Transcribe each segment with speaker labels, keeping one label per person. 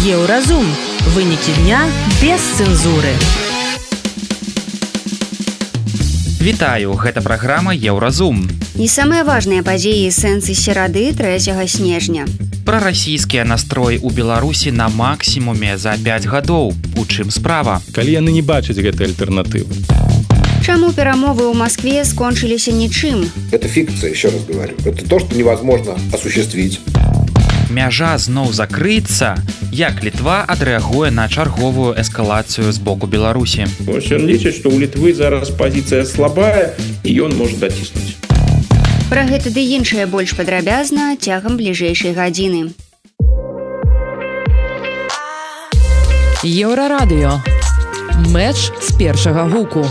Speaker 1: Еўразум. Вынікі дня без цэнзуры.
Speaker 2: Вітаю, гэта праграма Еўразум.
Speaker 3: І самыя важныя падзеі сэнсы серады 3 снежня.
Speaker 2: Прарасійскія настроі ў Беларусі на максімуме за 5 гадоў. У чым справа?
Speaker 4: Калі яны не бачаць гэтай альтэрнатывы.
Speaker 3: Чаму перамовы ў Москве скончыліся нічым?
Speaker 5: Это фикция, еще раз говорю. Это то, что невозможно осуществить.
Speaker 2: Мяжа зноў закрыецца, як Літва адрэагуе на чарговую эскалацыю з боку Беларусі.
Speaker 6: Ён лічыць, што ў Літвы зараз пазіцыя слабая, і ён можа даціснуць.
Speaker 3: Пра гэта ды іншае больш падрабязна цягам бліжэйшай гадзіны.
Speaker 1: Еўрарадыё. Мэч з першага гуку.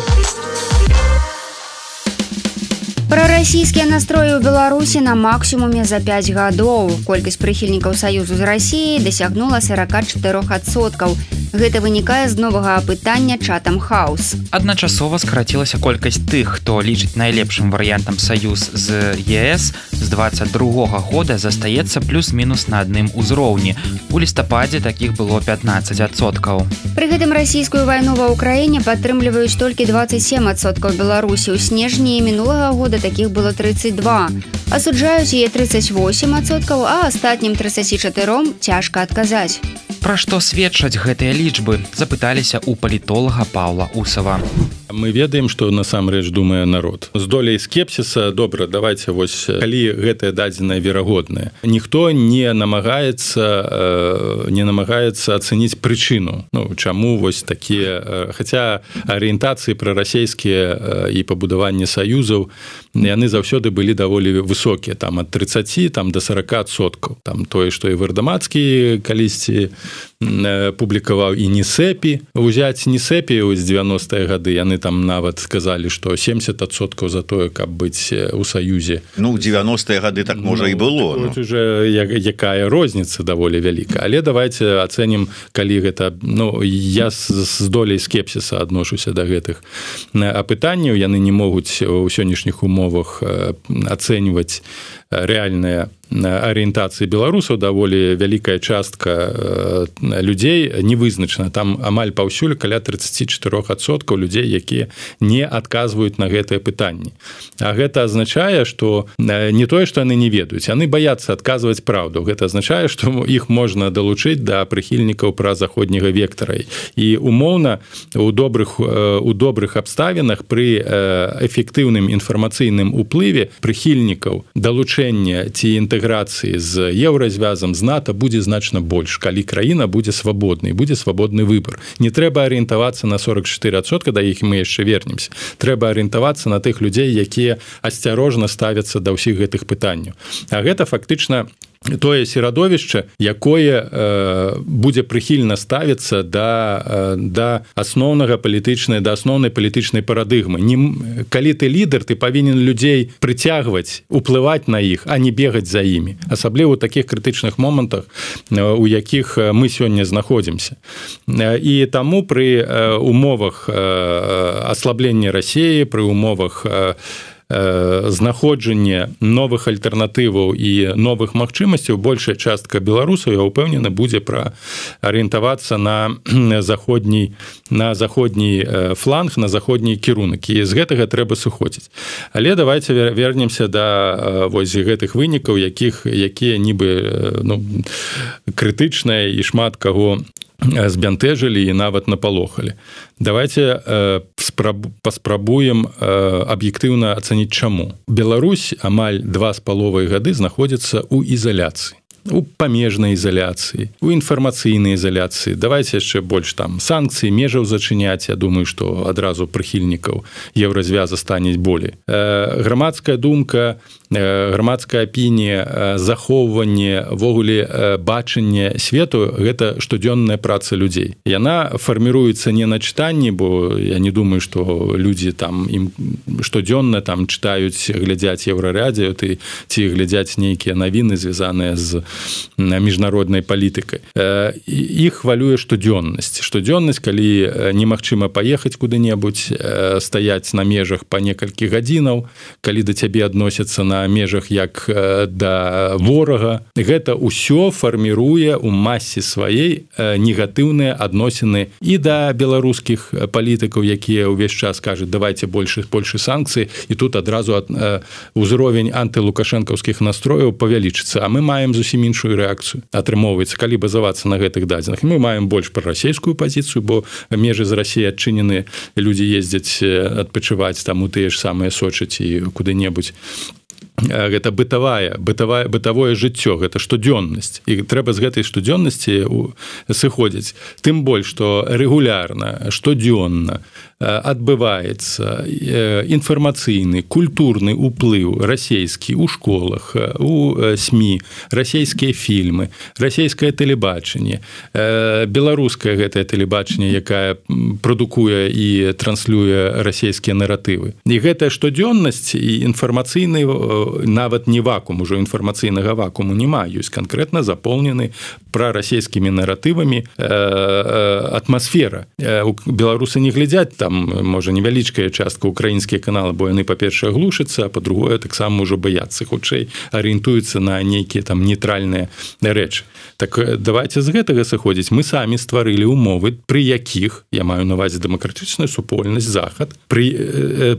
Speaker 3: Прарасійскія настроі ў Беларусі на максімуме за 5 гадоў. Колькасць прыхільнікаў саюзу з Расіяй дасягнула 44%. Гэта вынікае з новага апытання Chatham House.
Speaker 2: Адначасова скарацілася колькасць тых, хто лічыць найлепшым варыянтам саюз з ЕС з 22-го года застаецца плюс-мінус на адным узроўні. У лістападзе такіх было 15%.
Speaker 3: Пры гэтым расійскую вайну ва ўкраіне падтрымліваюць толькі 27% беларусаў. У снежні мінулага года такіх было 32. Асуджаюць яе 38%, а астатнім 34% цяжка адказаць.
Speaker 2: Пра што сведчаць гэтыя лічбы, запыталіся ў палітолага Паўла Усава.
Speaker 4: Мы ведаем, што насамрэч думае народ. З доляй скепсіса, добра, давайте вось, калі гэтае дадзенае верагоднае. Ніхто не намагаецца ацэніць прычыну. Чаму вось такія, хаця арыентацыі прарасійскія і пабудаванне саюзаў, яны заўсёды былі даволі высокія, там ад 30 там, до 40%. Там тое, што і Вардамацкі калісьці публікаваў і Нісепі. Узяць Нісепі з 90-е гады, яны там нават сказалі, што 70% за тое, каб быць у саюзе.
Speaker 7: У 90-е гады так можа і было.
Speaker 4: Тут уже якая розніца даволі вялікая. Але давайте ацэнім, калі гэта... Я з доляй скепсіса адношуся да гэтых апытанняў. Яны не могуць у сённяшніх умовах ацэньваць рэальныя арыентацыі беларусаў, даволі вялікая частка людзей не вызначана. Там амаль паўсюль каля 34% людзей, якія не адказваюць на гэтыя пытанні. А гэта азначае, што не тое, што яны не ведаюць, яны баяцца адказваць праўду. Гэта азначае, што іх можна далучыць да прыхільнікаў празаходняга вектара. І умоўна у добрых абставінах пры эфектыўным інфармацыйным уплыве прыхільнікаў далучэння ці інтэграцыі з еўразвязам, з НАТО будзе значна больш, калі краіна будзе свабоднай, будзе свабодны выбар. Не трэба арыентавацца на 44%, да іх мы яшчэ вернемся. Трэба арыентавацца на тых людзей, якія асцярожна ставяцца да ўсіх гэтых пытанняў. А гэта фактычна тое серадовішча, якое будзе прыхільна ставіцца да асноўнай палітычнай парадыгмы. Калі ты лідар, ты павінен людзей прыцягваць, уплываць на іх, а не бегаць за імі. Асабліва ў такіх крытычных момантах, у якіх мы сёння знаходзімся. І таму пры умовах аслаблення Расіі, пры умовах знаходжання новых альтэрнатываў і новых магчымасцяў большая частка беларусаў, я ўпэўнены, будзе арыентавацца на заходні фланг, на заходні кірунак. І з гэтага трэба сыходзіць. Але давайте вернемся да вось гэтых вынікаў, якія нібы крытычныя і шмат каго збянтэжылі і нават напалохалі. Давайте паспрабуем аб'ектыўна ацаніць чаму. Беларусь амаль 2,5 гады знаходзіцца ў ізаляцыі. У памежнай ізаляцыі, у інфармацыйнай ізаляцыі. Давайте яшчэ больш там санкцыі, межаў зачыняць. Я думаю, што адразу прыхільнікаў еўразвяза станець болей. Грамадская думка, грамадская апінія, захоўванне, ввогуле бачанне свету – гэта штодзённая праца людзей. Яна фарміруецца не на чытанні, бо я не думаю, што людзі там ім штодзённа там чытаюць, глядзяць еўрарадыё ці глядзяць нейкія навіны, звязаныя з міжнароднай палітыкай. Іх хвалюе штодзённасць. Штодзённасць, калі немагчыма паехаць куды-небудзь, стаяць на межах па некалькі гадзінаў, калі да цябе адносяцца на на межах як да ворага. Гэта ўсё фарміруе ў масе сваей негатыўныя адносіны і да беларускіх палітыкаў, якія ўвесь час кажуць, давайте больше санкцый, і тут адразу ўзровень антылукашэнкаўскіх настрояў павялічыцца. А мы маем зусім іншую рэакцыю. Атрымоўваецца, калі базавацца на гэтых дадзеных. Мы маем больш прарасійскую пазіцыю, бо межы з Расіі адчынены, людзі ездзяць адпачываць там у тыя ж самыя Сочы ці куды-небудзь. Гэта бытавое жыццё, гэта штодзённасць, і трэба з гэтай штодзённасці сыходзіць. Тым больш, што рэгулярна, штодзённа адбываецца інфармацыйны, культурны ўплыў расійскі ў школах, у СМІ, расійскія фільмы, расійскае тэлебачанне, беларускае гэтае тэлебачанне, якая прадукуе і транслюе расійскія наратывы. І гэтая штодзённасць і інфармацыйны нават не вакуум, ужо інфармацыйнага вакууму няма, ёсць канкрэтна запоўнены прарасійскімі наратывамі атмасфера. Беларусы не глядзяць там, можа, невялічкая частка украінскія каналы, бо яны, па-першае, глушацца, а па-другое, таксама ўжо баяцца, хутчэй арыентуюцца на нейкія там нейтральныя рэчы. Так давайте з гэтага сыходзіць. Мы самі стварылі умовы, пры якіх, я маю на ўвазе дэмакратычную супольнасць, захад,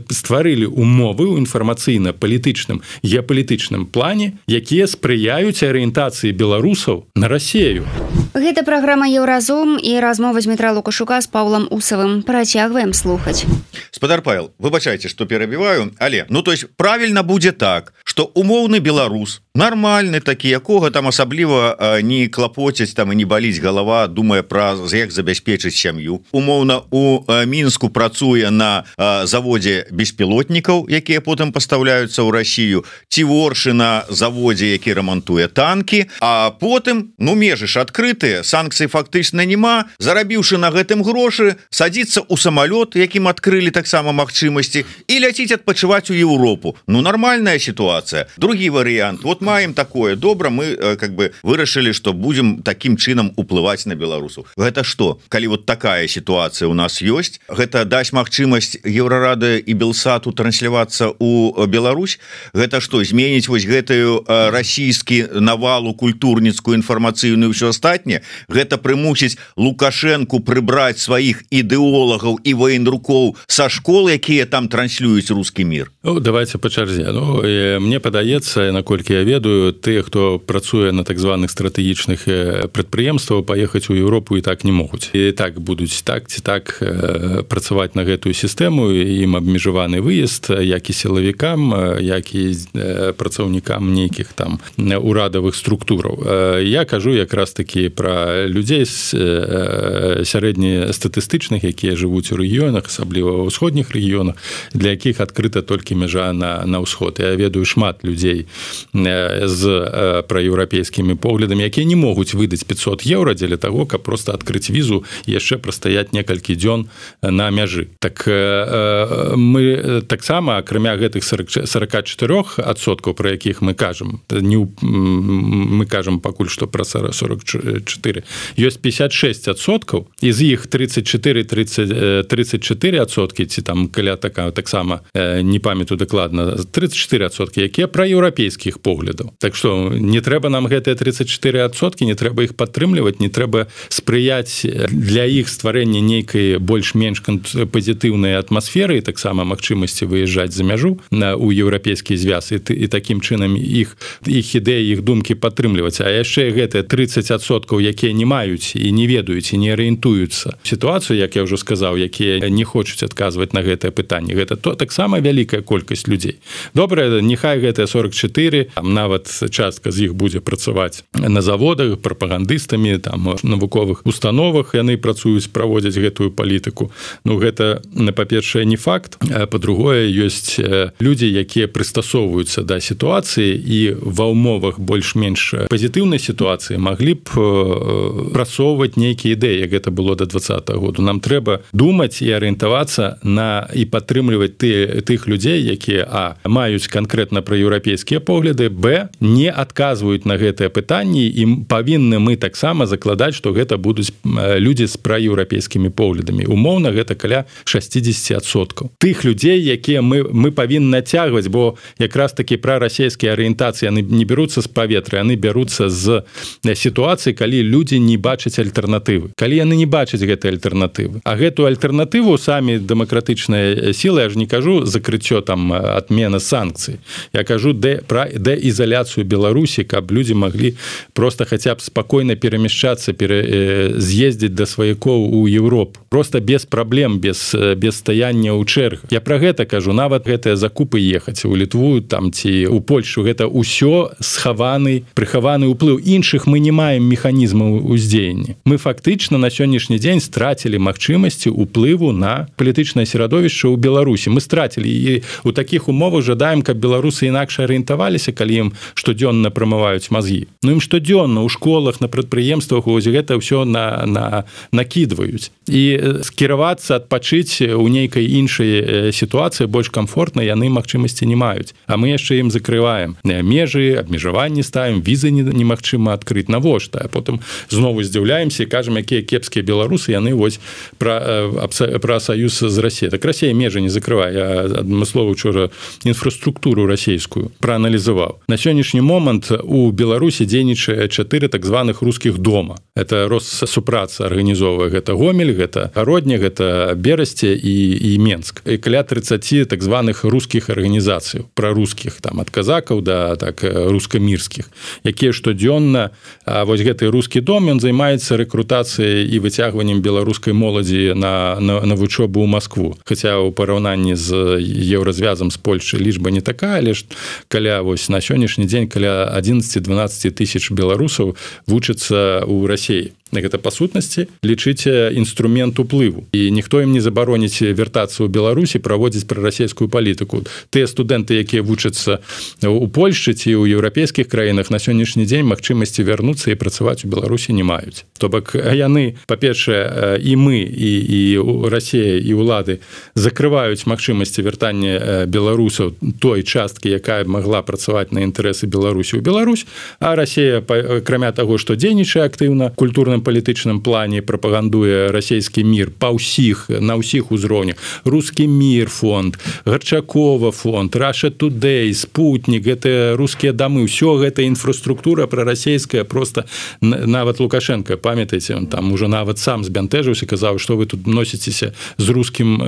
Speaker 4: стварылі умовы ў інфармацыйна-палітычным, геапалітычным плане, якія спрыяюць арыентацыі беларусаў на Расію.
Speaker 3: Гэта праграма «Еўразум» і размова Дмітра Лукашука з Паўлам Усавым. Працягваем слухаць.
Speaker 7: Спадар Павел, выбачайце, што перабіваю, але, то есть, правільна будзе так, што умоўны беларус, нармальны такі, якога там асабліва не клапоцяць там і не баліць галава, думае пра як забяспечыць сям'ю. Умоўна, у Мінску працуе на заводзе беспілотнікаў, якія потым пастаўляюцца ў Расію, ці воршы на заводзе, які рамантуе танкі, а потым, межы ж адкрытыя, санкцый фактычна няма, зарабіўшы на гэтым грошы, садзіцца ў самалёт, якім адкрылі таксама магчымасці, і ляціць адпачываць у Еўропу. Нармальная сітуацыя. Другі варыянт. Вот маем такое. Добра, мы как бы вырашылі, што будзем такім чынам уплываць на беларусаў. Гэта што? Калі вот такая сітуацыя у нас ёсць, гэта дасць магчымасць Еўрарады і Белсату транслявацца ў Беларусь? Гэта што, зменіць вось гэтую расійскі навалу культурніцкую, інфармацыйную і ўсё астатняе? Гэта прымусіць Лукашэнку прыбраць сваіх ідэолагаў і военрукоў са школ, якія там транслююць рускі мір?
Speaker 4: Давайте па чарзе. Мне падаецца, наколькі я ведаю, тыя, хто працуе на так званых стратэгічных прадпрыемстваў, паехаць у Еўропу і так не могуць. І так будуць так ці так працаваць на гэтую сістэму, ім абмежаваны выезд, як і сілавікам, як і працаўнікам нейкіх там урадавых структураў. Я кажу якраз такі пра людзей сярэднестатыстычных, якія жывуць у рэгіёнах, асабліва ў ўсходніх рэгіёнах, для якіх адкрыта толькі мяжа на ўсход. Я ведаю шмат людзей з праеўрапейскімі поглядамі, якія не могуць выдаць 500 еўра дзеля таго, каб проста адкрыць візу і яшчэ прастаяць некалькі дзён на мяжы. Так мы таксама, акрамя гэтых 44%, пра якіх мы кажам, мы кажам пакуль што пра 44%, ёсць 56%, і з іх 34%, ці там каля таксама не памятаю дакладна, 34%, якія пра еўрапейскіх поглядаў. Так што не трэба нам гэтыя 34%, не трэба іх падтрымліваць, не трэба спрыяць для іх стварэння нейкай больш-менш пазітыўнай атмасферы і таксама магчымасці выязджаць за мяжу у еўрапейскі звяз і такім чынам іх ідэі, іх думкі падтрымліваць. А яшчэ гэтыя 30%, якія не маюць і не ведаюць і не арыентуюцца сітуацыю, як я ўжо сказаў, якія не хочуць адказваць на гэтае пытанне. Гэта таксама вялікая колькасць людзей. Добра, няхай гэтыя 44, там нават частка з іх будзе працаваць на заводах, прапагандыстамі, там навуковых установах яны працуюць, праводзяць гэтую палітыку. Гэта, па-першае, не факт, а па-другое, ёсць людзі, якія прыстасоўваюцца да сітуацыі і ва ўмовах больш-менш пазітыўнай сітуацыі маглі б прасоўваць нейкія ідэі, як гэта было да 2020 году. Нам трэба думаць і арыентавацца на і падтрымліваць тых людзей, якія маюць канкрэтна праеўрапейскія погляды, не адказваюць на гэтыя пытанні, і павінны мы таксама закладаць, што гэта будуць людзі з праеўрапейскімі поглядамі. Умоўна гэта каля 60%. Тых людзей, якія мы павінны нацягваць, бо якраз такі прарасійскія арыентацыі яны не бяруцца з паветра, яны бяруцца з сітуацыі, калі людзі не бачаць альтэрнатывы. Калі яны не бачаць гэтай альтэрнатывы. А гэтую альтэрнатыву самі дэмакратычныя сілы, я ж не кажу закрыццё там адмена санкцый. Я кажу пра дэізаляцыю Беларусі, каб людзі маглі просто хаця б спакойна перамяшчацца, з'ездзіць да сваякоў у Еўропу. Просто без праблем, без стаяння ў чэргах. Я пра гэта кажу, нават гэтыя закупы ехаць у Літву там ці у Польшу, гэта ўсё прыхаваны ўплыў. Іншых мы не маем механізмаў уздзеяння. Мы фактычна на сённяшні дзень страцілі магчымасці ўплыву на палітычнае серадовішча ў Беларусі. Мы страцілі, і у такіх умовах жадаем, каб беларусы інакш арыентаваліся, калі ім штодзённа прамываюць мазгі. Ну ім штодзённа ў школах, на прадпрыемствах ось гэта ўсё накідваюць. І скіравацца, адпачыць у нейкай іншай сітуацыі больш камфортна яны магчымасці не маюць. А мы яшчэ ім закрываем межы, абмежаванні ставім, візы немагчыма адкрыць. Навошта? А потым знову здзіўляемся і кажам, якія кепскія беларусы, яны вось пра саюз з Расіяй. Так Расія межы не закрывае. Я адмыслова учора інфраструктуру расійскую прааналізаваў. На сённяшні момант у Беларусі дзейнічае 4 так званых рускіх дома. Это Россупраца арганізоўвае. Гэта Гомель, гэта Гародня, гэта Берасце і Менск. І каля 30 так званых рускіх арганізацый, прарускіх, там ад казакаў да так рускамірскіх, якія штодзённа, вось гэты рускі дом, ён займаецца рэкрутацыяй і выцягваннем беларускай моладзі на вучобу ў Маскву. Хаця ў параўнанні з еўразвязам з Польшчай лічба не такая, але ж каля вось на сённяшні дзень каля 11-12 тысяч беларусаў вучацца ў Расіі. Гэта па сутнасці лічыце інструмент уплыву. І ніхто ім не забароніць вяртацца ў Беларусі, праводзіць прарасійскую палітыку. Тыя студэнты, якія вучацца у Польшчы ці ў еўрапейскіх краінах, на сённяшні дзень магчымасці вярнуцца і працаваць у Беларусі не маюць. То бок яны, па-першае, і мы, і Расія, і ўлады закрываюць магчымасці вяртання беларусаў той часткі, якая магла працаваць на інтарэсы Беларусі ў Беларусь, а Расія, акрамя таго, што дзейнічае актыўна культурным палітычным плане, прапагандуе расійскі мір на ўсіх узроўнях. Рускі мір фонд, Гарчакова фонд, Russia Today, Спутнік, гэта рускія дамы, ўсё гэта інфраструктура прарасійская, просто нават Лукашенко, памятаеце, он там уже нават сам збянтэжыўся, казаў, што вы тут носіцеся з рускім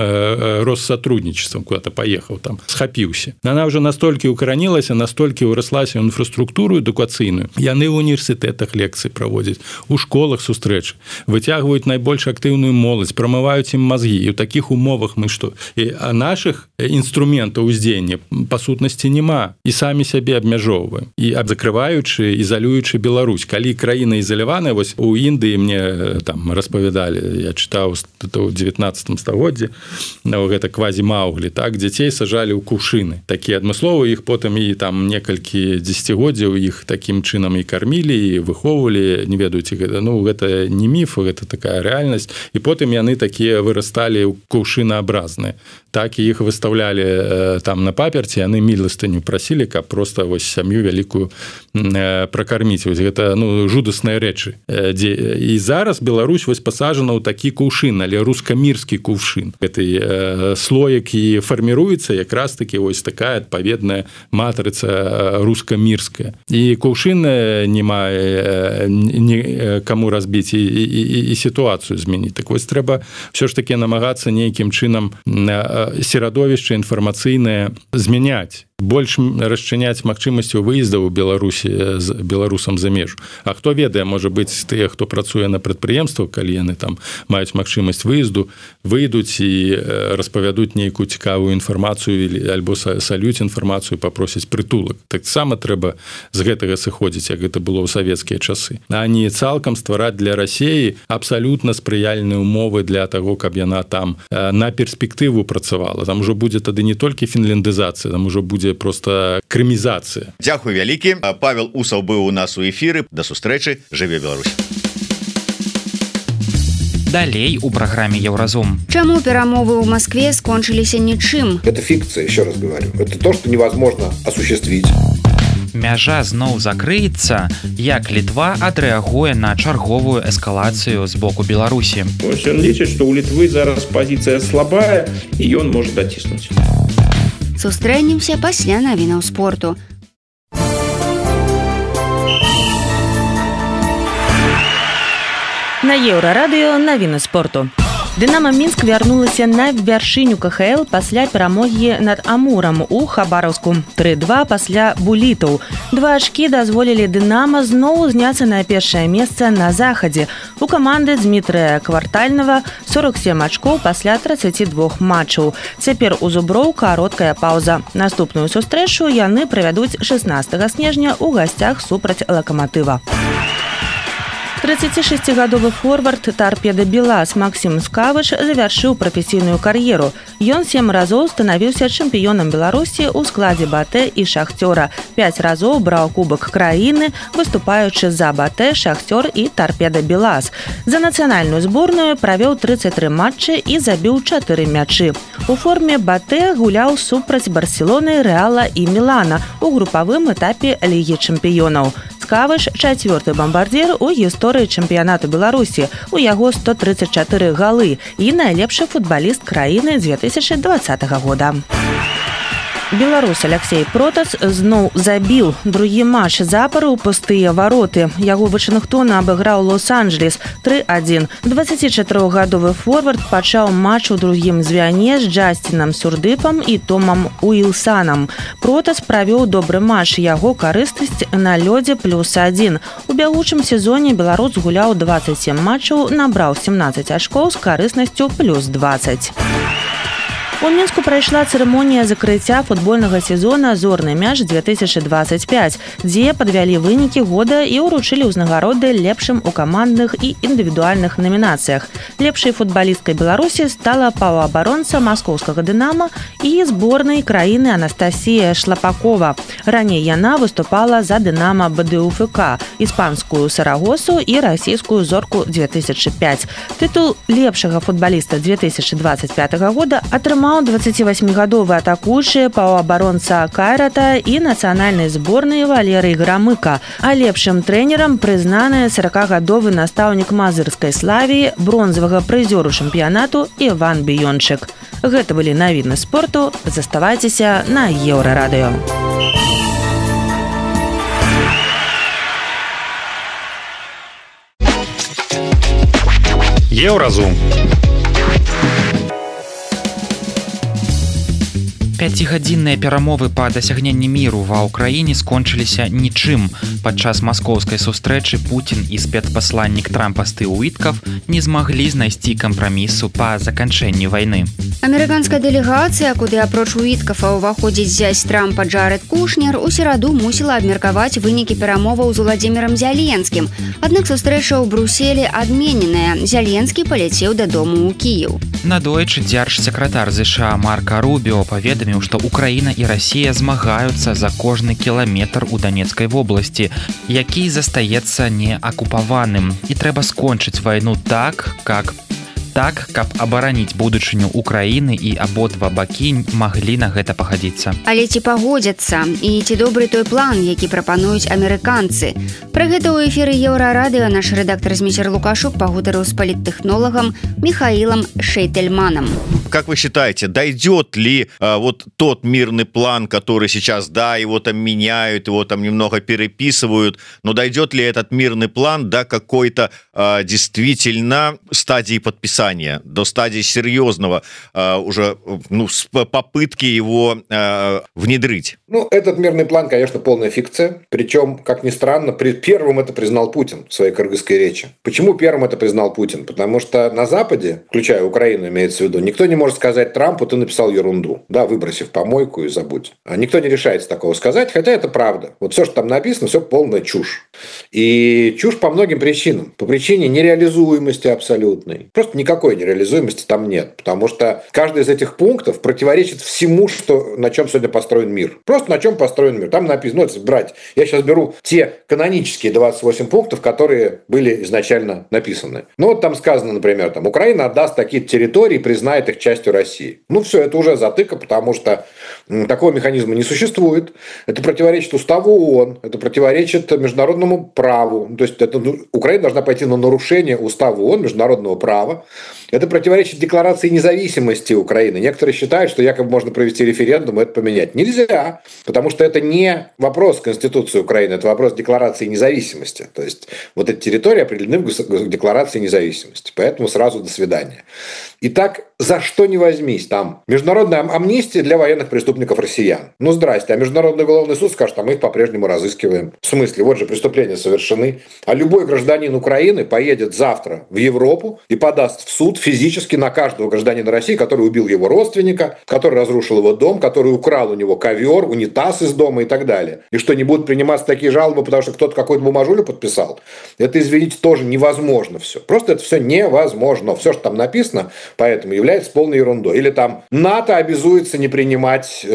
Speaker 4: Россотрудничеством, куда-то паехаў там, схапіўся. Она ўжо настолькі укаранілася, настолькі ўраслася ў інфраструктуру адукацыйную. Яны ў універсітэтах лекцыі праводзяць, у школах сустрэч, выцягваюць найбольш актыўную моладзь, прамываюць ім мазгі. І ў такіх умовах мы што? А нашых інструментаў уздзеяння па сутнасці няма. І самі сябе абмяжоўваем. І закрываючы, ізалюючы Беларусь. Калі краіна ізаляваная, вось у Індыі мне там распавядалі, я чытаў у 19 стагоддзі, гэта квазі-мауглі, так, дзяцей сажалі ў кувшыны. Такія адмысловы, іх потым і там некалькі дзесяцігоддзяў іх такім чынам і кармілі, і выхоўвалі, не ведаюць, гэта не міф, гэта такая рэальнасць. І потым яны такія вырасталі кувшынаабразныя. Так і іх выставлялі там на паперці, яны міластыню прасілі, каб просто вось сям'ю вялікую пракарміць. Вось гэта жудасныя рэчы. І зараз Беларусь вось пасажана ў такі кувшын, але рускамірскі кувшын. Гэты слоек і фарміруецца якраз такі вось такая адпаведная матрыца рускамірская. І кувшын не мае каму разбіць і сітуацыю змяніць. Так вось трэба ўсё ж такі намагацца нейкім чынам серадовішча інфармацыйнае змяняць. Больш расчыняць магчымасцю выездаў у Беларусі з беларусам за межу. А хто ведае, можа быць, тыя, хто працуе на прадпрыемствах, калі яны там маюць магчымасць выезду, выйдуць і распавядуць нейкую цікавую інфармацыю альбо салюць інфармацыю, папросяць прытулак. Таксама трэба з гэтага сыходзіць, як гэта было ў савецкія часы. А не цалкам ствараць для Расіі абсалютна спрыяльныя умовы для таго, каб яна там на перспектыву працавала. Там ужо будзе тады не толькі фінляндызацыя, там ужо будзе просто крымізацыя.
Speaker 7: Дзякуй вялікі. Павел Усаў быў у нас у эфіры. Да сустрэчы. Жыве Беларусь.
Speaker 2: Далей у праграме Еўразум.
Speaker 3: Чаму перамовы ў Москве скончыліся нічым?
Speaker 5: Это фикция, еще раз говорю. Это то, что невозможно осуществить.
Speaker 2: мяжа зноў закрыецца, як Літва адрэагуе на чарговую эскалацыю з боку Беларусі.
Speaker 6: Ён лічыць, што ў Літвы зараз пазіцыя слабая і ён можа даціснуць.
Speaker 3: Сустрэнемся пасля навінаў спорту.
Speaker 1: На Еўрарадыё навіны спорту. Дынамо Мінск вярнулася на вяршыню КХЛ пасля перамогі над Амурам у Хабаровску. 3-2 пасля булітаў. 2 ачкі дазволілі Дынамо зноў зняцца на першае месца на захадзе. У каманды Дмітрыя Квартальнага 47 ачкоў пасля 32 матчаў. Цяпер у зуброў кароткая паўза. Наступную сустрэчу яны правядуць 16 снежня ў гасцях супраць Лакаматыва. 36-гадовы форвард «Торпеда Белаз» Максим Скавыш завяршыў прафесійную кар'еру. Ён 7 разоў станавіўся чэмпіёнам Беларусі ў складзе БАТЭ і «Шахцёра». 5 разоў браў кубак краіны, выступаючы за БАТЭ, «Шахцёр» і «Торпеда Белаз». За нацыянальную зборную правёў 33 матчы і забіў 4 мячы. У форме БАТЭ гуляў супраць Барселоны, Рэала і Мілана у групавым этапе Лігі чэмпіёнаў. Скавыш – 4-й бамбардзір у гісторыі чэмпіянату Беларусі. У яго 134 галы і найлепшы футбаліст краіны 2020 года. Беларус Алексей Протас зноў забіў другі матч запар у пустыя вароты. Яго Вашынгтон абыграў Лос-Анджелес 3-1. 24-гадовы форвард пачаў матч у другім звяне з Джастинам Сурдыпам і Томам Уілсанам. Протас правёў добры матч, яго карыснасць на лёдзе +1. У бягучым сезоне беларус гуляў 27 матчаў, набраў 17 ачкоў з карыснасцю +20. У Мінску прайшла цырымонія закрыцця футбольнага сезона «Зорны мяч 2025», дзе падвялі вынікі года і ўручылі ўзнагароды лепшым у камандных і індывідуальных намінацыях. Лепшай футбалісткай Беларусі стала паўабаронца маскоўскага «Дынамо» і зборнай краіны Анастасія Шлапакова. Раней яна выступала за «Дынамо» БДУФК, іспанскую «Сарагосу» і расійскую «Зорку» 2005. Тытул лепшага футбаліста 2025 года атрымаў 28-гадовы атакуючы паўабаронца Кайрата і нацыянальнай зборнай Валерый Грамыка. А лепшым трэнерам прызнаны 40-гадовы настаўнік мазырскай Славіі, бронзавага прызёру чэмпіянату Іван Біёнчык. Гэта былі навіны спорту. Заставайцеся на Еўрарадыё.
Speaker 4: Еўразум.
Speaker 2: 5-гадзінныя перамовы па дасягненні міру ва ўкраіне скончыліся нічым. Падчас маскоўскай сустрэчы Пуцін і спецпасланнік Трампа Стыў Уіткаф не змаглі знайсці кампрамісу па заканчэнні вайны.
Speaker 3: Амерыканская дэлегацыя, куды апроч Уіткафа ўваходзіць зязь Трампа Джаред Кушнер, у сераду мусіла абмеркаваць вынікі перамоваў з Уладзімірам Зяленскім. Аднак сустрэча ў Брюсселі адмененая. Зяленскі паляцеў дадому ў Кіеў.
Speaker 2: Надойчы дзяржсакратар ЗША Марка Рубіо паведаміў, што Украіна і Расія змагаюцца за кожны кіламетр у Данецкай вобласці, які застаецца неакупаваным. І трэба скончыць вайну так, каб абараніць будучыню Украіны і абодва бакі маглі на гэта пагадзіцца.
Speaker 3: Але ці пагодзяцца? І ці добры той план, які прапануюць амерыканцы? Пра гэта ў эфіры Еўрарадыё наш рэдактор Зміцер Лукашук пагутарыў з паліттэхнолагам Михаилом Шейтельманом.
Speaker 7: Как вы считаете, дойдет ли вот тот мирный план, который сейчас, да, его там меняют, его там немного переписывают, но дойдет ли этот мирный план до какой-то действительно стадии подписания, до стадии серьезного уже попытки его внедрить?
Speaker 5: Ну, этот мирный план, конечно, полная фикция. Причем, как ни странно, первым это признал Путин в своей кыргызской речи. Почему первым это признал Путин? Потому что на Западе, включая Украину, имеется в виду, никто не может сказать Трампу: ты написал ерунду, да, выброси в помойку и забудь. А никто не решается такого сказать, хотя это правда. Вот все, что там написано, все полная чушь. И чушь по многим причинам. По причине нереализуемости абсолютной. Просто никакой нереализуемости там нет. Потому что каждый из этих пунктов противоречит всему, на чем сегодня построен мир. Просто на чем построен мир. Там написано, если брать, я сейчас беру те канонические 28 пунктов, которые были изначально написаны. Ну вот там сказано, например, Украина отдаст такие территории, признает их частью России. Ну все, это уже затыка, потому что Такого механизма не существует. Это противоречит уставу ООН, это противоречит международному праву. То есть Украина должна пойти на нарушение устава ООН, международного права. Это противоречит декларации независимости Украины. Некоторые считают, что якобы можно провести референдум и это поменять. Нельзя, потому что это не вопрос Конституции Украины, это вопрос декларации независимости. То есть вот эти территории определены в декларации независимости. Поэтому сразу до свидания. Итак, за что не возьмись, там международная амнистия для военных преступников россиян. Ну, здрасте, а Международный уголовный суд скажет, а мы их по-прежнему разыскиваем. В смысле, вот же преступления совершены. А любой гражданин Украины поедет завтра в Европу и подаст в суд физически на каждого гражданина России, который убил его родственника, который разрушил его дом, который украл у него ковер, унитаз из дома и так далее. И что, не будут приниматься такие жалобы, потому что кто-то какую-то бумажулю подписал? Это, извините, тоже невозможно все. Просто это все невозможно. Все, что там написано, поэтому является полной ерундой. Или там НАТО обязуется не принимать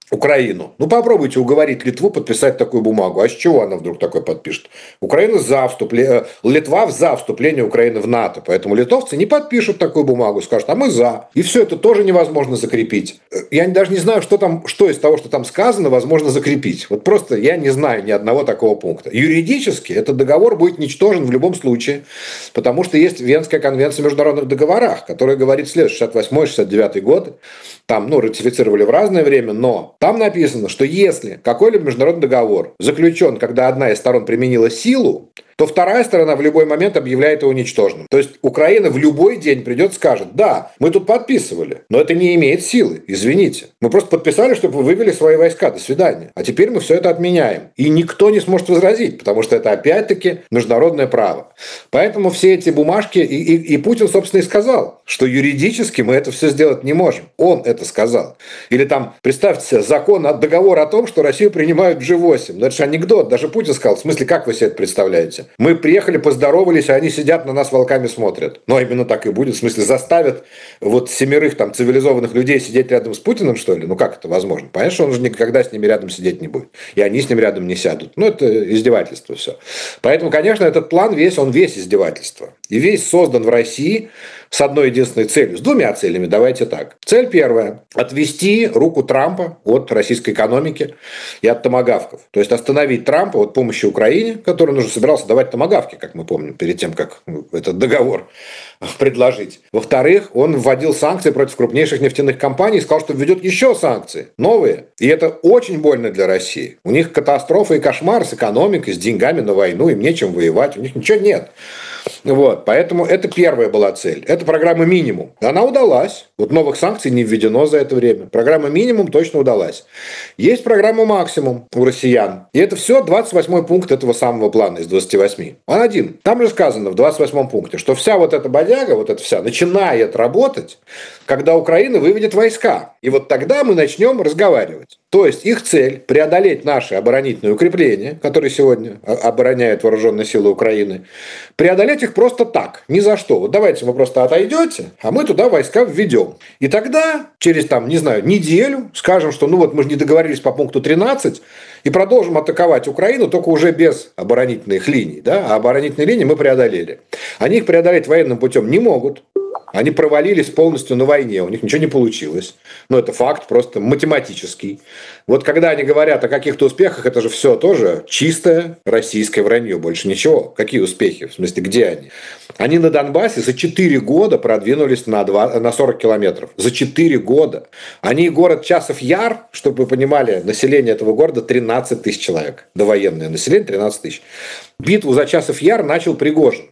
Speaker 5: Украину. Ну, попробуйте уговорить Литву подписать такую бумагу. А с чего она вдруг такое подпишет? Украина за вступление, Литва за вступление Украины в НАТО. Поэтому литовцы не подпишут такую бумагу, скажут, а мы за. И все это тоже невозможно закрепить. Я даже не знаю, что из того, что там сказано, возможно закрепить. Вот просто я не знаю ни одного такого пункта. Юридически этот договор будет ничтожен в любом случае, потому что есть Венская конвенция о международных договорах, которая говорит следующее, 68-69 годы. Там, ратифицировали в разное время, но там написано, что если какой-либо международный договор заключен, когда одна из сторон применила силу, то вторая сторона в любой момент объявляет его ничтожным. То есть Украина в любой день придет и скажет, да, мы тут подписывали, но это не имеет силы, извините. Мы просто подписали, чтобы вы вывели свои войска, до свидания. А теперь мы все это отменяем. И никто не сможет возразить, потому что это опять-таки международное право. Поэтому все эти бумажки, и Путин, собственно, и сказал, что юридически мы это все сделать не можем. Он это сказал. Или там, представьте себе, договор о том, что Россию принимают в G8. Ну, это же анекдот. Даже Путин сказал, в смысле, как вы себе это представляете? Мы приехали, поздоровались, а они сидят на нас волками смотрят. Ну, а именно так и будет. В смысле, заставят вот 7 там цивилизованных людей сидеть рядом с Путиным, что ли? Ну, как это возможно? Понятно, что он же никогда с ними рядом сидеть не будет. И они с ним рядом не сядут. Ну, это издевательство все. Поэтому, конечно, этот план он весь издевательство. И весь создан в России с одной единственной целью, с двумя целями, давайте так. Цель первая – отвести руку Трампа от российской экономики и от томагавков. То есть остановить Трампа от помощи Украине, который он уже собирался давать томагавки, как мы помним, перед тем, как этот договор предложить. Во-вторых, он вводил санкции против крупнейших нефтяных компаний и сказал, что введет еще санкции, новые. И это очень больно для России. У них катастрофа и кошмар с экономикой, с деньгами на войну, им нечем воевать, у них ничего нет. Вот, поэтому это первая была цель. Это программа «Минимум». Она удалась. Вот новых санкций не введено за это время. Программа «Минимум» точно удалась. Есть программа «Максимум» у россиян. И это все 28-й пункт этого самого плана из 28. Он один. Там же сказано в 28-м пункте, что вся вот эта бодяга, вот эта вся, начинает работать, когда Украина выведет войска. И вот тогда мы начнем разговаривать. То есть их цель – преодолеть наши оборонительные укрепления, которые сегодня обороняют вооруженные силы Украины, преодолеть их просто так, ни за что. Вот давайте вы просто отойдете, а мы туда войска введем. И тогда через, неделю скажем, что мы же не договорились по пункту 13 и продолжим атаковать Украину, только уже без оборонительных линий. Да? А оборонительные линии мы преодолели. Они их преодолеть военным путем не могут. Они провалились полностью на войне, у них ничего не получилось. Но это факт просто математический. Вот когда они говорят о каких-то успехах, это же все тоже чистое российское вранье, больше ничего. Какие успехи? В смысле, где они? Они на Донбассе за 4 года продвинулись на 40 километров. За 4 года. Они город Часов Яр, чтобы вы понимали, население этого города 13 тысяч человек. Довоенное население 13 тысяч. Битву за Часов Яр начал Пригожин,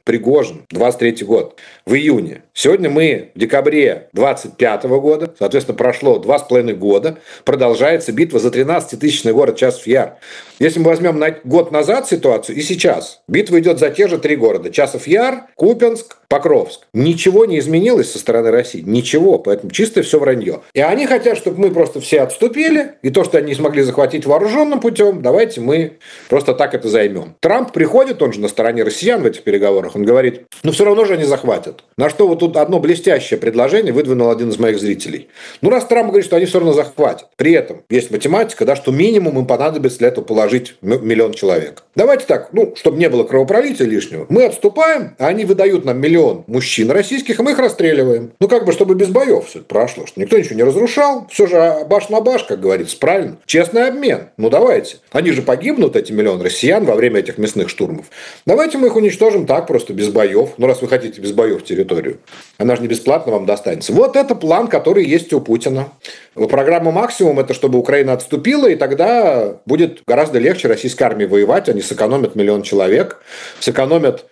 Speaker 5: 23 год, в июне. Сегодня мы в декабре 25 года, соответственно, прошло 2,5 года, продолжается битва за 13-тысячный город Часов Яр. Если мы возьмем год назад ситуацию и сейчас, битва идет за те же 3 города. Часов Яр, Купянск, Покровск. Ничего не изменилось со стороны России. Ничего. Поэтому чистое все вранье. И они хотят, чтобы мы просто все отступили. И то, что они не смогли захватить вооруженным путем, давайте мы просто так это займем. Трамп приходит, он же на стороне россиян в этих переговорах. Он говорит, все равно же они захватят. На что вот тут одно блестящее предложение выдвинул один из моих зрителей. Раз Трамп говорит, что они все равно захватят. При этом есть математика, что минимум им понадобится для этого положения положить миллион человек. Давайте так, чтобы не было кровопролития лишнего, мы отступаем, а они выдают нам миллион мужчин российских, и мы их расстреливаем. Чтобы без боев все это прошло, что никто ничего не разрушал, все же баш на баш, как говорится, правильно. Честный обмен. Давайте. Они же погибнут, эти миллион россиян, во время этих мясных штурмов. Давайте мы их уничтожим так, просто без боев. Раз вы хотите без боев территорию. Она же не бесплатно вам достанется. Вот это план, который есть у Путина. Программа «Максимум» – это чтобы Украина отступила, и тогда будет гораздо легче российской армии воевать. Они сэкономят миллион человек, сэкономят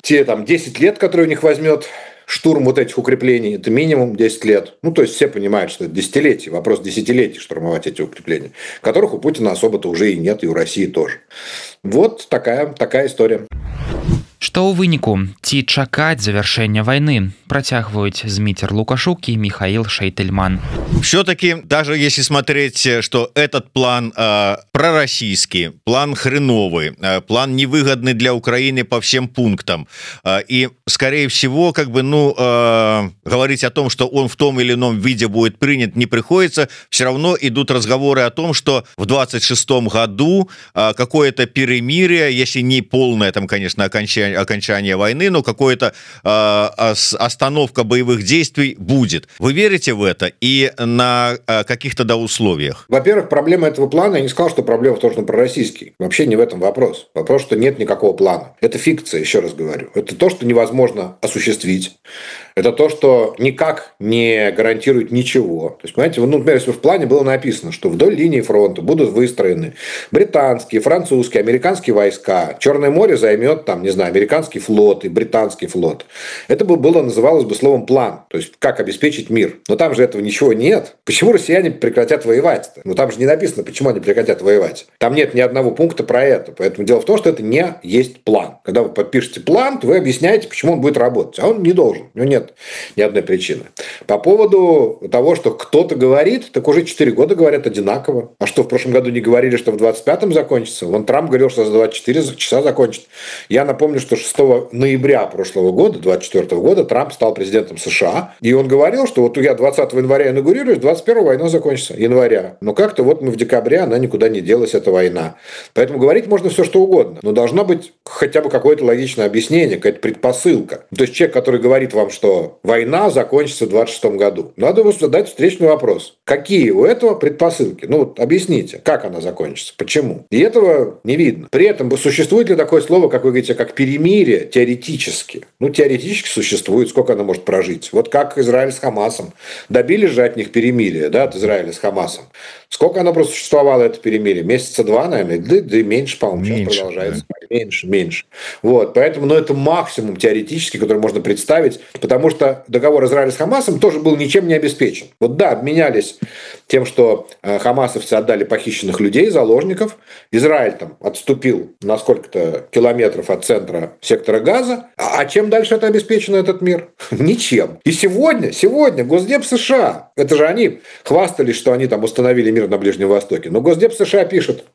Speaker 5: те 10 лет, которые у них возьмет штурм вот этих укреплений. Это минимум 10 лет. То есть все понимают, что это десятилетие, вопрос десятилетий штурмовать эти укрепления, которых у Путина особо-то уже и нет, и у России тоже. Вот такая история.
Speaker 2: Што ў выніку, ці чакаць завяршэння войны, працягваюць Зміцер Лукашук и Михаил Шейтельман.
Speaker 7: Все-таки, даже если смотреть, что этот план пророссийский, план хреновый, план невыгодный для Украины по всем пунктам, и, скорее всего, говорить о том, что он в том или ином виде будет принят, не приходится, все равно идут разговоры о том, что в 26 году какое-то перемирие, если не полное, конечно, окончание войны, но какое-то остановка боевых действий будет. Вы верите в это и на каких-то условиях?
Speaker 5: Во-первых, проблема этого плана, я не сказал, что проблема в том, что он пророссийский. Вообще не в этом вопрос. Вопрос, что нет никакого плана. Это фикция, еще раз говорю. Это то, что невозможно осуществить. Это то, что никак не гарантирует ничего. То есть, понимаете, например, если в плане было написано, что вдоль линии фронта будут выстроены британские, французские, американские войска, Черное море займет, американский флот и британский флот. Это называлось бы словом «план». То есть, как обеспечить мир. Но там же этого ничего нет. Почему россияне прекратят воевать-то? Там же не написано, почему они прекратят воевать. Там нет ни одного пункта про это. Поэтому дело в том, что это не есть план. Когда вы подпишете план, то вы объясняете, почему он будет работать. А он не должен. У него нет ни одной причины. По поводу того, что кто-то говорит, так уже 4 года говорят одинаково. А что, в прошлом году не говорили, что в 25-м закончится? Трамп говорил, что за 24 часа закончит. Я напомню, что 6 ноября прошлого года, 24 года, Трамп стал президентом США. И он говорил, что я 20 января инаугурируюсь, 21 война закончится. Января. Но как-то мы в декабре, она никуда не делась, эта война. Поэтому говорить можно все, что угодно. Но должно быть хотя бы какое-то логичное объяснение, какая-то предпосылка. То есть человек, который говорит вам, что война закончится в 26 году. Надо ему задать встречный вопрос. Какие у этого предпосылки? Объясните, как она закончится, почему? И этого не видно. При этом существует ли такое слово, как вы говорите, как перемирие теоретически? Теоретически существует. Сколько оно может прожить? Вот как Израиль с Хамасом. Добились же от них перемирие, от Израиля с Хамасом. Сколько оно просто существовало, это перемирие? Месяца 2, наверное, да и меньше, по-моему, сейчас продолжается. Да. Меньше. Поэтому, это максимум теоретически, который можно представить, потому что договор Израиля с Хамасом тоже был ничем не обеспечен. Обменялись тем, что хамасовцы отдали похищенных людей, заложников. Израиль отступил на сколько-то километров от центра сектора Газа. А чем дальше это обеспечено, этот мир? Ничем. И сегодня Госдеп США, это же они хвастались, что они установили мир на Ближнем Востоке. Но Госдеп США пишет,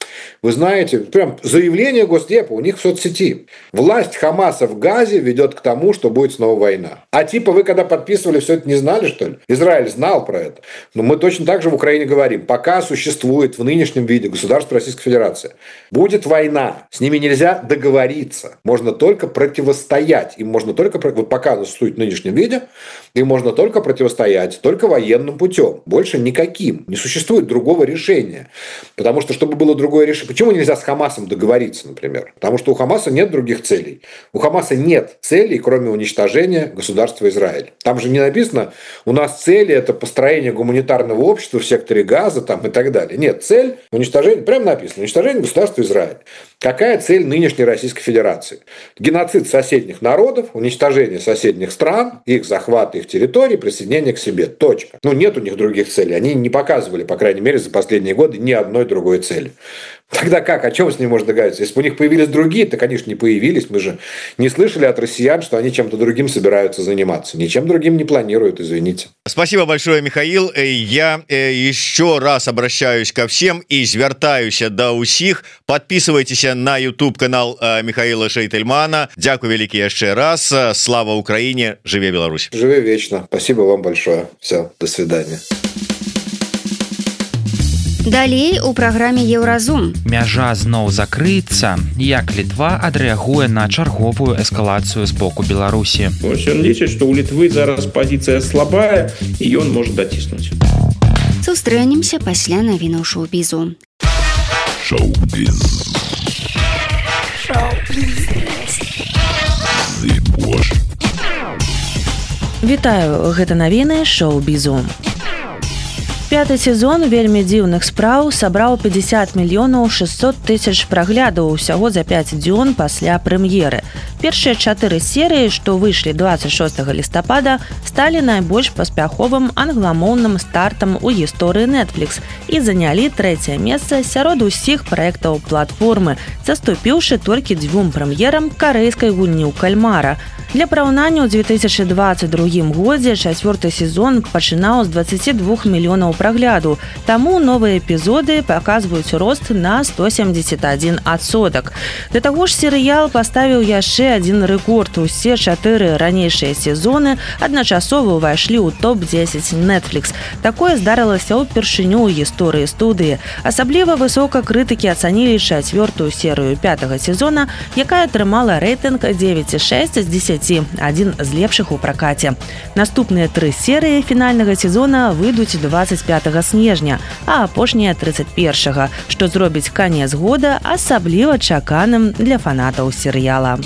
Speaker 5: вы знаете, прям заявление Госдепа у них в соцсети. Власть Хамаса в Газе ведет к тому, что будет снова война. А вы когда подписывали, все это не знали, что ли? Израиль знал про это. Но мы точно так же в Украине говорим. Пока существует в нынешнем виде государство Российской Федерации, будет война. С ними нельзя договориться. Можно только противостоять. Им можно только, пока существует в нынешнем виде, им можно только противостоять, только военным путем. Больше никаким. Не существует другого решения. Потому что, чтобы было другое решение... Почему нельзя с Хамасом договориться, например? Потому что у Хамаса нет других целей. У Хамаса нет целей, кроме уничтожения государства Израиль. Там же не написано, у нас цели это построение гуманитарного общества в секторе Газа и так далее. Нет, цель уничтожения, прямо написано, уничтожение государства Израиль. Какая цель нынешней Российской Федерации? Геноцид соседних народов, уничтожение соседних стран, их захват их территорий, присоединение к себе. Точка. Нет у них других целей. Они не показывали, по крайней мере, за последние годы ни одной другой цели. Тогда как? О чем с ним можно договориться? Если бы у них появились другие, то, конечно, не появились. Мы же не слышали от россиян, что они чем-то другим собираются заниматься. Ничем другим не планируют, извините.
Speaker 7: Спасибо большое, Михаил. Я еще раз обращаюсь ко всем и звертаюсь до усіх. Подписывайтесь на YouTube-канал Михаила Шейтельмана. Дякую великий еще раз. Слава Украине. Живе Беларусь.
Speaker 5: Живе вечно. Спасибо вам большое. Все, до свидания.
Speaker 3: Далей у праграме Еўразум.
Speaker 2: Мяжа зноў закрыецца. Як Літва адрэагуе на чарговую эскалацыю з боку Беларусі?
Speaker 6: Ён лічыць, што ў Літвы зараз пазіцыя слабая, і ён можа даціснуць.
Speaker 3: Сустрэнемся пасля навінаў шоу-бізу.
Speaker 8: Шоу-біз.
Speaker 1: Вітаю, гэта навіны шоу-бізу. Пяты сезон вельмі дзіўных спраў сабраў 50 мільёнаў 600 тысяч праглядаў усяго за 5 дзён пасля прэм'еры. Першыя 4 серыі, што выйшлі 26 лістапада, сталі найбольш паспяховым англамоўным стартам у гісторыі Netflix і занялі 3е месца сярод усіх праектаў платформы, заступіўшы толькі 2 прэм'ерам карэйскай гульні ў кальмара. Для параўнання, ў 2022 годзе 4-й сезон пачынаў з 22 мільёнаў прагляду, таму новыя эпізоды паказваюць рост на 171%. Да таго ж серыял паставіў яшчэ адзін рэкорд. Усе 4 ранейшыя сезоны адначасова ўвайшлі ў топ-10 Netflix. Такое здарылася ўпершыню ў гісторыі студыі. Асабліва высока крытыкі ацанілі 4-ю серыю 5-го сезона, якая атрымала рэйтынг 9,6 з 10, адзін з лепшых у пракаце. Наступныя 3 серыі фінальнага сезона выйдуць 25 снежня, а апошнія 31, што зробіць канец года асабліва чаканым для фанатаў серыяла.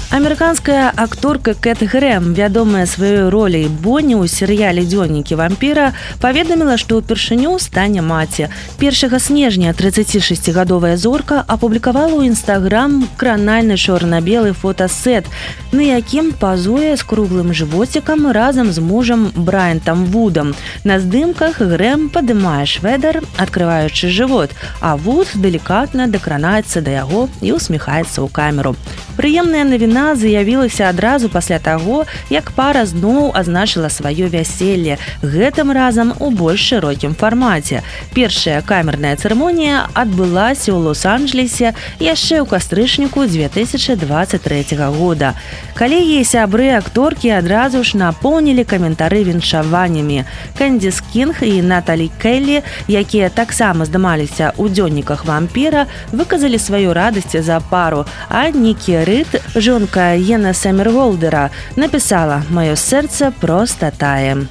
Speaker 1: Амерыканская акторка Кэт Грэм, вядомая сваёй роляй Бонні ў серыяле «Дзённікі вампіра», паведаміла, што ўпершыню стане маці. 1 снежня 36гадовая зорка апублікавала ў Інстаграм кранальны чорна-белы фотасет, на якім пазуе з круглым жывоцікам разам з мужам Брайантам Вудам. На здымках Грэм падымае швэдар, адкрываючы жывот, а Вуд далікатна дакранаецца да яго і усміхаецца ў камеру. Прыемная навіна заявілася адразу пасля таго, як пара зноў азначыла сваё вяселле, гэтым разам у больш шырокім фармаце. Першая камерная цырымонія адбылася ў Лос-Анджелесе яшчэ ў кастрычніку 2023 года. Калегі і сябры акторкі адразу ж напоўнілі каментары віншаваннямі. Кэндзіс Кінг і Наталі Келлі, якія таксама здымаліся ў «Дзённіках вампіра», выказалі сваю радасць за пару, а Нікі Рид, жонка Йена Саммерголдера, написала «Маё сэрца проста тае».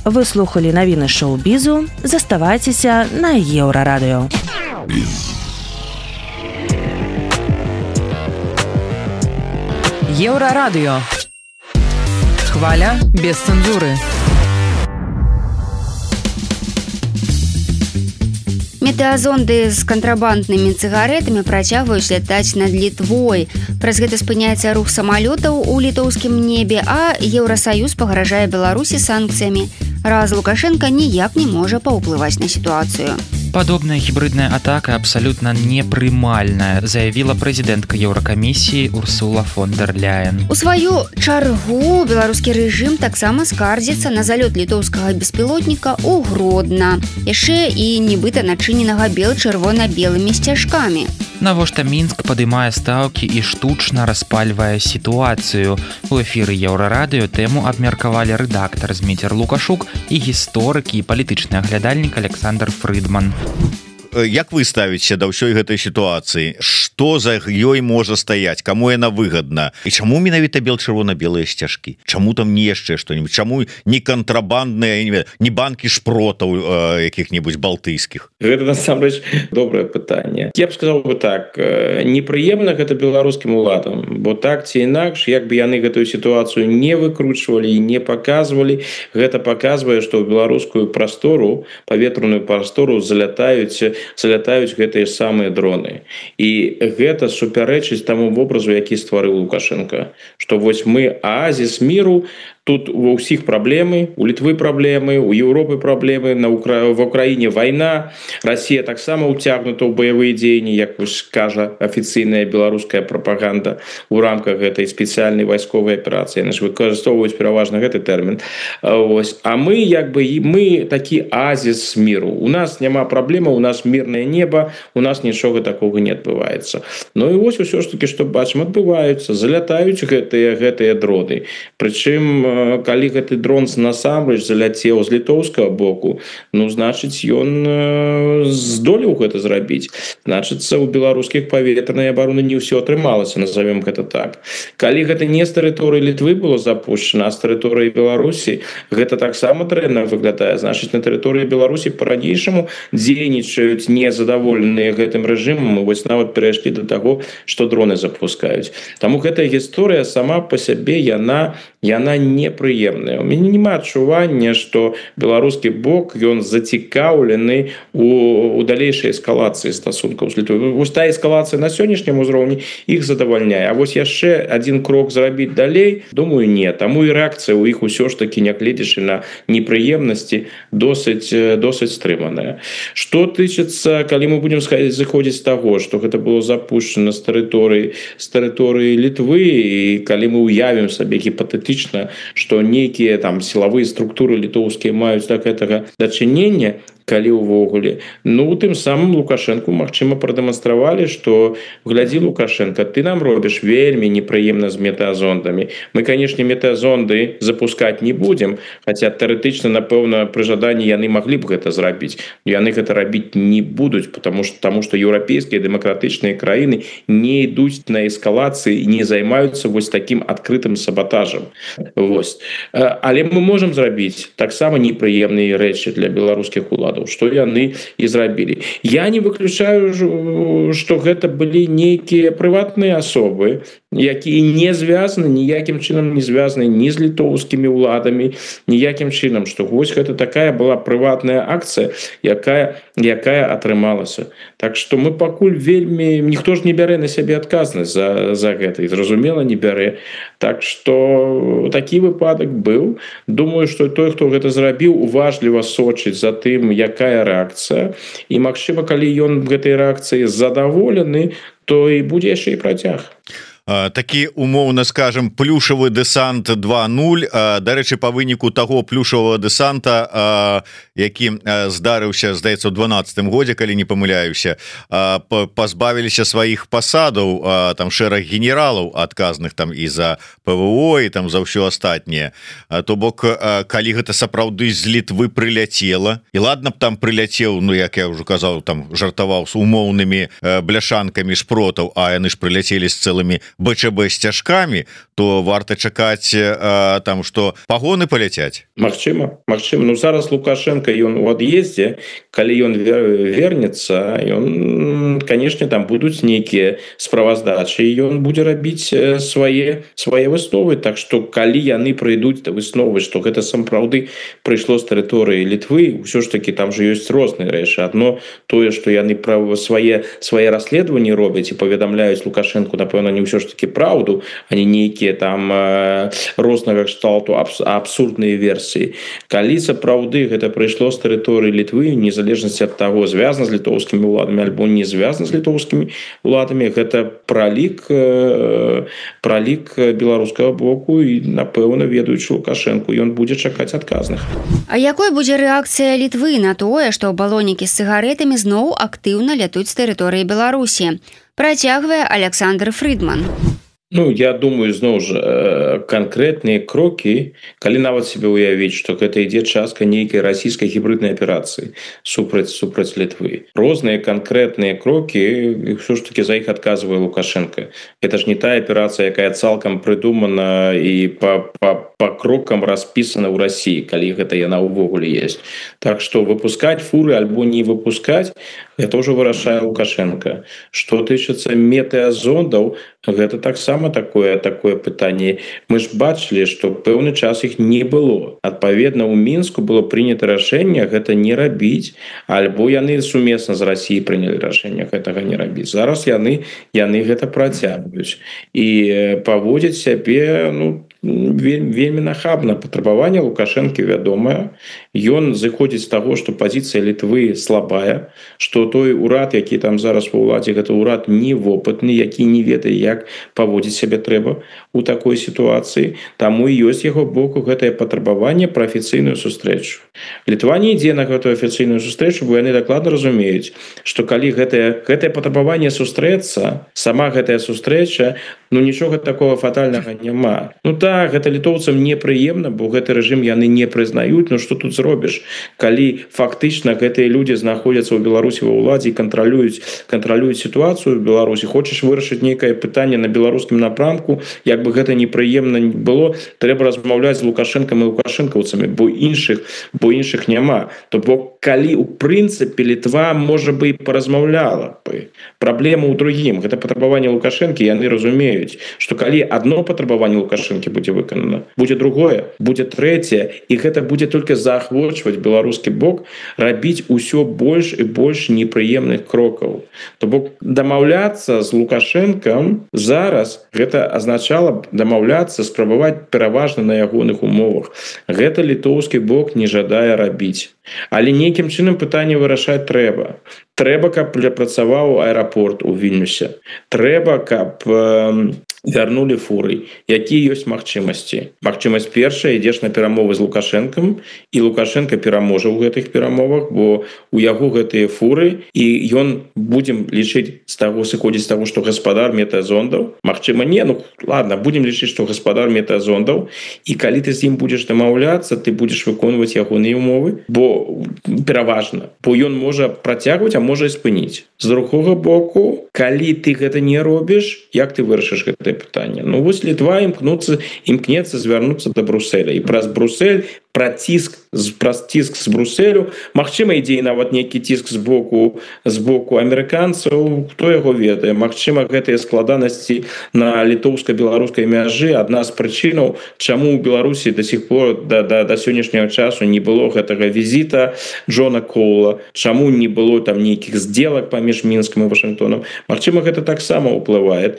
Speaker 1: Вы слухали навіны шоу-бізу, заставайцеся на Еўрарадыё.
Speaker 9: Еўрарадыё. Хваля без цэнзуры.
Speaker 3: Метэазонды з кантрабанднымі цыгарэтамі працягваюць лятаць над Літвой. Праз гэта спыняецца рух самалётаў у літоўскім небе, а Еўрасаюз пагражае Беларусі санкцыямі. Раз Лукашенко ніяк не можа паўплываць на сітуацыю.
Speaker 2: Падобная гібридная атака абсалютна непрымальная, заявіла прэзідэнтка Еўракамісіі Урсула фон дер Ляйен.
Speaker 3: У сваю чаргу беларускі рэжым таксама скардзіцца на залёт літоўскага беспілотніка ў Гродна, яшчэ і нібыта начыненага бел-чырвона-белымі сцяжкамі.
Speaker 2: Навошта Мінск падымае стаўкі і штучна распальвае сітуацыю. У эфіры Еўрарадыё тэму абмеркавалі рэдактар Зміцер Лукашук і гісторык і палітычны аглядальнік Александр Фрыдман.
Speaker 7: Як вы ставіце да ўсёй гэтай сітуацыі? Што за ёй можа стаяць? Каму яна выгадна? І чаму менавіта бел-чырвона-белыя сцяжкі? Чаму там не яшчэ што-нибудь? Чаму не кантрабандныя, не банкі шпротаў якіх-небудзь балтыйскіх?
Speaker 6: Гэта насамрэч добрае пытанне. Я б сказаў бы так, непрыемна гэта беларускім уладам, бо так ці інакш, як бы яны гэтую сітуацыю не выкручвалі і не паказвалі, гэта паказвае, што ў беларускую прастору, паветраную прастору залятаюць гэтыя самыя дроны. І гэта супярэчыць таму вобразу, які стварыў Лукашенко, што вось мы аазіс міру, тут ва ўсіх праблемы, у Літвы праблемы, у Еўропы праблемы, в Украіне вайна, Расія таксама ўцягнута ў баявыя дзеянні, як кажа афіцыйная беларуская прапаганда у рамках гэтай спецыяльнай вайсковай аперацыі. Яны ж выкарыстоўваюць пераважна гэты тэрмін. А мы мы такі аазіс міру. У нас няма праблема, у нас мірнае неба, у нас нічога такога не адбываецца. Ну і вось усё ж такі, што бачым, адбываюцца, залятаюць гэтыя дроны. Прычым калі гэты дрон насамрэч заляцеў з літоўскага боку, ну значыць ён здолеў гэта зрабіць. Значыцца у беларускіх паветранай абароны не ўсё атрымалася, назовем гэта так. Калі гэта не з тэрыторыі Літвы было запущена, а з тэрыторыі Беларусі, гэта таксама дрэнна выглядае. Значыць, на тэрыторыі Беларусі па-ранейшаму дзейнічаюць незадаволеныя гэтым рэжымам, і вось нават перайшлі да таго, што дроны запускаюць. Таму гэтая гісторыя сама па сябе яна непрыемная. У мяне няма адчування, што беларускі бок ён зацікаўлены у далейшай эскалацыі стасункаў з Літвой. Вось та эскалацыя на сённяшнім узроўні іх задавальняе. А вось яшчэ адзін крок зрабіць далей, думаю, не. Таму і рэакцыя ў іх усё ж такі, нягледзячы на непрыемнасці, досыць стрыманая. Што тычыцца, калі мы будзем зыходзіць з таго, што гэта было запущена з тэрыторыі Літвы, і калі мы уявім сабе гіпатэтычна, што нейкія там сілавыя структуры літоўскія маюць да гэтага дачынення, калі ўвогуле, ну тым самым Лукашэнку магчыма прадэманстравалі, што глядзі, Лукашенко, ты нам робіш вельмі непрыемна з метэазондамі. Мы, канешне, метэазонды запускаць не будзем, хаця тэарэтычна, напэўна, пры жаданні яны маглі б гэта зрабіць. Яны гэта рабіць не будуць, таму што еўрапейскія дэмакратычныя краіны не ідуць на эскалацыі і не займаюцца вось такім адкрытым сабатажам. Вось. Але мы можам зрабіць таксама непрыемныя рэчы для беларускіх уладаў, што яны і зрабілі. Я не выключаю, што гэта былі нейкія прыватныя асобы, якія не звязаны, ніякім чынам не звязаны ні з літоўскімі ўладамі, ніякім чынам, што вось гэта такая была прыватная акцыя, якая атрымалася. Так што мы пакуль вельмі... Ніхто ж не бярэ на сябе адказнасць за гэта, і зразумела, не бярэ. Так што такі выпадак быў. Думаю, што той, хто гэта зрабіў, уважліва сочыць за тым, якая рэакцыя. І, магчыма, калі ён гэтай рэакцыі задаволены, то і будзе яшчэ і працяг.
Speaker 7: Такі, умоўна скажем, плюшавы дэсант 2.0. Дарэчы, па выніку таго плюшавага дэсанта, які здарыўся, здаецца, у 12-м годзе, калі не памыляюся, пазбавіліся сваіх пасадаў там шэраг генералаў адказных там і за ПВО, і там за ўсё астатняе. То бок, калі гэта сапраўды з Літвы прыляцела, і ладна б там прыляцеў, ну, як я ўжо казаў, там жартаваў з умоўнымі бляшанкамі шпротаў, а яны ж прыляцелі з цэлымі БЧБ сцяжкамі, то варта чакаць там, што пагоны паляцяць.
Speaker 6: Магчыма. Ну, зараз Лукашенко, ён у ад'ездзе, калі ён вернецца, ён, канешне, там будуць нейкія справаздачы, і ён будзе рабіць свае высновы. Так што, калі яны прыйдуць да высновы, што гэта сапраўды прыйшло з тэрыторыі Літвы, ўсё ж такі там жа ёсць розныя рэчы. Адно тое, што яны свае расследаванні робяць і паведамляюць Лукашенку, напэўна, не ўсё ж таки праўду, а не нейкія там рознага кшталту абсурдныя версіі. Калі сапраўды гэта прыйшло з тэрыторыі Літвы, незалежнасці ад таго, звязана з літоўскімі ўладамі альбо не звязана з літоўскімі ўладамі, гэта пралік беларускага боку, і, напэўна, ведаючы Лукашенку, ён будзе чакаць адказных.
Speaker 3: А якой будзе рэакцыя Літвы на тое, што балонікі з цыгарэтамі зноў актыўна лятуць з тэрыторыі Беларусі? Працягвае Александр Фридман.
Speaker 6: Ну, я думаю, зноў жа, канкрэтныя крокі, калі нават себе уявіць, што гэта ідзе частка нейкай расійскай гібриднай аперацыі супраць Літвы. Розныя канкрэтныя крокі, ўсё ж таки за іх адказвае Лукашенко. Гэта ж не тая аперацыя, якая цалкам прыдумана і па крокам распісана ў Расіі, калі гэта яна ўвогуле есть. Так што выпускаць фуры альбо не выпускаць, гэта ўжо вырашае Лукашенко. Што тычыцца метэазондаў, гэта таксама такое пытанне. Мы ж бачылі, што пэўны час іх не было. Адпаведна, у Мінску было прынята рашэнне гэта не рабіць, альбо яны сумесна з Расіяй прынялі рашэнне гэтага не рабіць. Зараз яны гэта працягваюць і паводзяць сябе, ну, вельмі нахабна. Патрабаванне Лукашэнкі вядомае, ён зыходзіць з таго, што пазіцыя Літвы слабая, што той урад, які там зараз ва ўладзе, гэта ўрад невопытны, які не ведае, як паводзіць сябе трэба у такой сітуацыі. Таму і ёсць яго боку гэтае патрабаванне пра афіцыйную сустрэчу. Літва не ідзе на гэтую афіцыйную сустрэчу, бо яны дакладна разумеюць, што калі гэтае патрабаванне сустрэцца, сама гэтая сустрэча, нічога такого фатальнага няма. Так, гэта літоўцам непрыемна, бо гэты рэжым яны не прызнаюць, што тут зробіш, калі фактычна гэтыя людзі знаходзяцца ў Беларусі ва ўладзе і кантралююць сітуацыю ў Беларусі. Хочаш вырашыць нейкае пытанне на беларускім напрамку, як бы гэта непрыемна не было, трэба размаўляць з Лукашэнкам і лукашэнкаўцамі, бо іншых няма. То бок, калі у прынцыпе Літва, можа бы, і паразмаўляла бы. Праблема ў другім. Гэта патрабаванне Лукашэнкі, яны разумеюць, што калі одно патрабаванне Лукашэнкі будзе выканана, будзе другое, будзе трэцяе, і гэта будзе толькі заахвочваць беларускі бок рабіць усё больш і больш непрыемных крокаў. То бок дамаўляцца з Лукашэнкам зараз гэта азначала дамаўляцца, спрабаваць пераважна на ягоных умовах. Гэта літоўскі бок не жадае рабіць. Але нейкім чынам пытанне вырашаць трэба. Трэба, каб працаваў аэрапорт у Вільнюсе. Трэба, каб вярнулі фуры. Якія ёсць магчымасці? Магчымасць першая, ідзеш на перамовы з Лукашэнкам, і Лукашэнка пераможа ў гэтых перамовах, бо у яго гэтыя фуры, і ён, будзем лічыць сыходзіць з таго, што гаспадар метэазондаў. Магчыма, не, ладно, будзем лічыць, што гаспадар метэазондаў, і калі ты з ім будзеш дамаўляцца, ты будзеш выконваць ягоныя умовы, бо пераважна, бо ён можа працягваць, а можа і спыніць. З другога боку, калі ты гэта не робіш, як ты вырашыш гэтае пытанне? Вось Літва імкнецца звярнуцца да Брусэля, і праз Брусэль праз ціск з Брусэлю, магчыма, ідзе нават нейкі ціск з боку амерыканцаў, хто яго ведае. Магчыма, гэтыя складанасці на літоўска-беларускай мяжы адна з прычынаў, чаму ў Беларусі да сих пор да сённяшняга часу не было гэтага візіта Джона Коула, чаму не было там нейкіх здзелак паміж Мінскам і Вашынгтонам. Магчыма, гэта таксама ўплывае.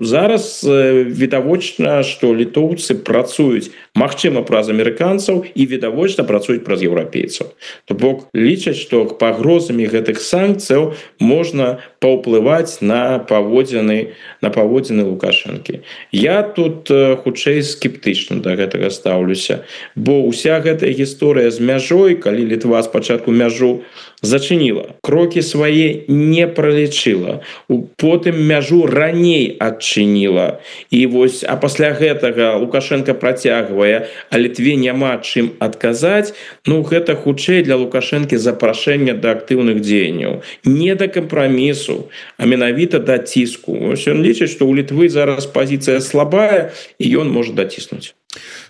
Speaker 6: Зараз відавочна, што літоўцы працуюць, магчыма, праз амерыканцаў, і відавочна працуюць праз еўрапейцаў. То бок лічаць, што пагрозамі гэтых санкцыяў можна паўплываць на паводзіны Лукашэнкі. Я тут хутчэй скептычна да гэтага стаўлюся, бо ўся гэтая гісторыя з мяжой, калі Літва спачатку мяжу зачыніла, крокі свае не пралічыла, потым мяжу раней адчыніла, а пасля гэтага Лукашенко працягвае, а Літве няма чым адказаць, гэта хутчэй для Лукашэнкі запрашэння да актыўных дзеянняў, не да кампрамісу, а менавіта да ціску. Ён лічыць, што ў Літвы зараз пазіцыя слабая, і ён можа даціснуць.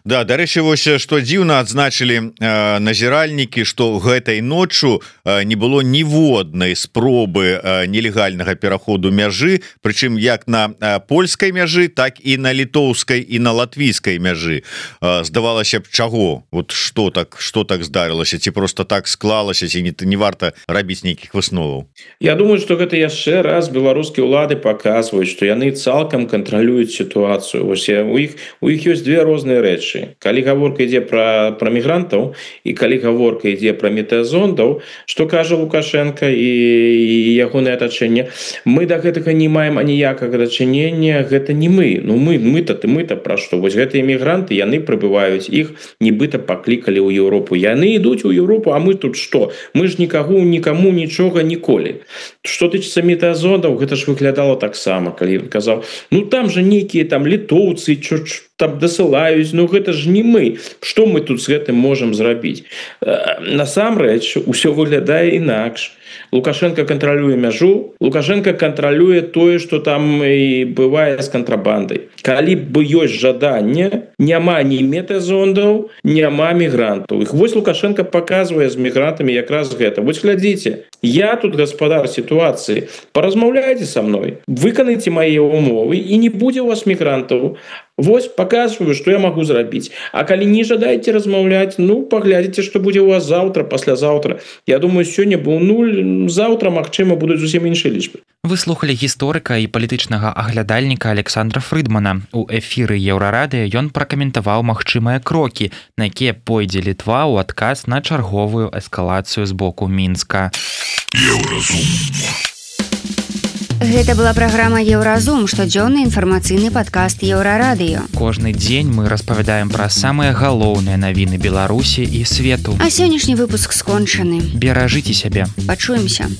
Speaker 7: Да, дарэчы, вось што дзіўна адзначылі назіральнікі, што гэтай ноччу не было ніводнай спробы нелегальнага пераходу мяжы, прычым як на польскай мяжы, так і на літоўскай і на латвійскай мяжы. Здавалася б, чаго? Вот што так здарылася? Ці просто так склалася, ці не варта рабіць нейкіх высноваў?
Speaker 6: Я думаю, што гэта яшчэ раз беларускія ўлады паказваюць, што яны цалкам кантралююць сітуацыю. У іх ёсць две розныя рэчы. Калі гаворка ідзе пра мігрантаў і калі гаворка ідзе пра метэазондаў, што кажа Лукашенко і ягонае атачэнне, мы да гэтага не маем аніякага дачынення, гэта не мы. Мы-то пра што? Вось гэтыя мігранты, яны прыбываюць, іх нібыта паклікалі ў Еўропу. Яны ідуць у Еўропу, а мы тут што? Мы ж нікаму нічога ніколі. Што тычыцца метэазондаў, гэта ж выглядала таксама, калі ён казаў, там жа нейкія там літоўцы, там дасылаюць, гэта ж не мы. Што мы тут з гэтым можам зрабіць? Насамрэч, усё выглядае інакш. Лукашенко кантралюе мяжу, Лукашенко кантралюе тое, што там і бывае з кантрабандай. Калі б ёсць жаданне, няма ні метэазондаў, няма мігрантаў. Вось Лукашенко паказвае з мігрантамі якраз гэта. Вось глядзіце, я тут гаспадар сітуацыі, паразмаўляйце са мной, выканайце мае умовы, і не будзе у вас мігрантаў. Вось паказваю, што я магу зрабіць. А калі не жадаеце размаўляць, паглядзіце, што будзе у вас заўтра, паслязаўтра. Я думаю, сёння быў нуль заўтра магчыма будуць зусім іншыя лічбы.
Speaker 2: Вы слухали гісторыка і палітычнага аглядальніка Александра Фрыдмана. У эфіры Еўрарадыё ён пракаментаваў магчымыя крокі, на якія пойдзе Літва ў адказ на чарговую эскалацыю з боку Мінска.
Speaker 3: Гэта была праграма «Еўразум», штодзённы інфармацыйны падкаст Еўрарадыё.
Speaker 2: Кожны дзень мы распавядаем пра самыя галоўныя навіны Беларусі і свету.
Speaker 3: А сённяшні выпуск скончаны.
Speaker 2: Беражыце сябе.
Speaker 3: Пачуемся.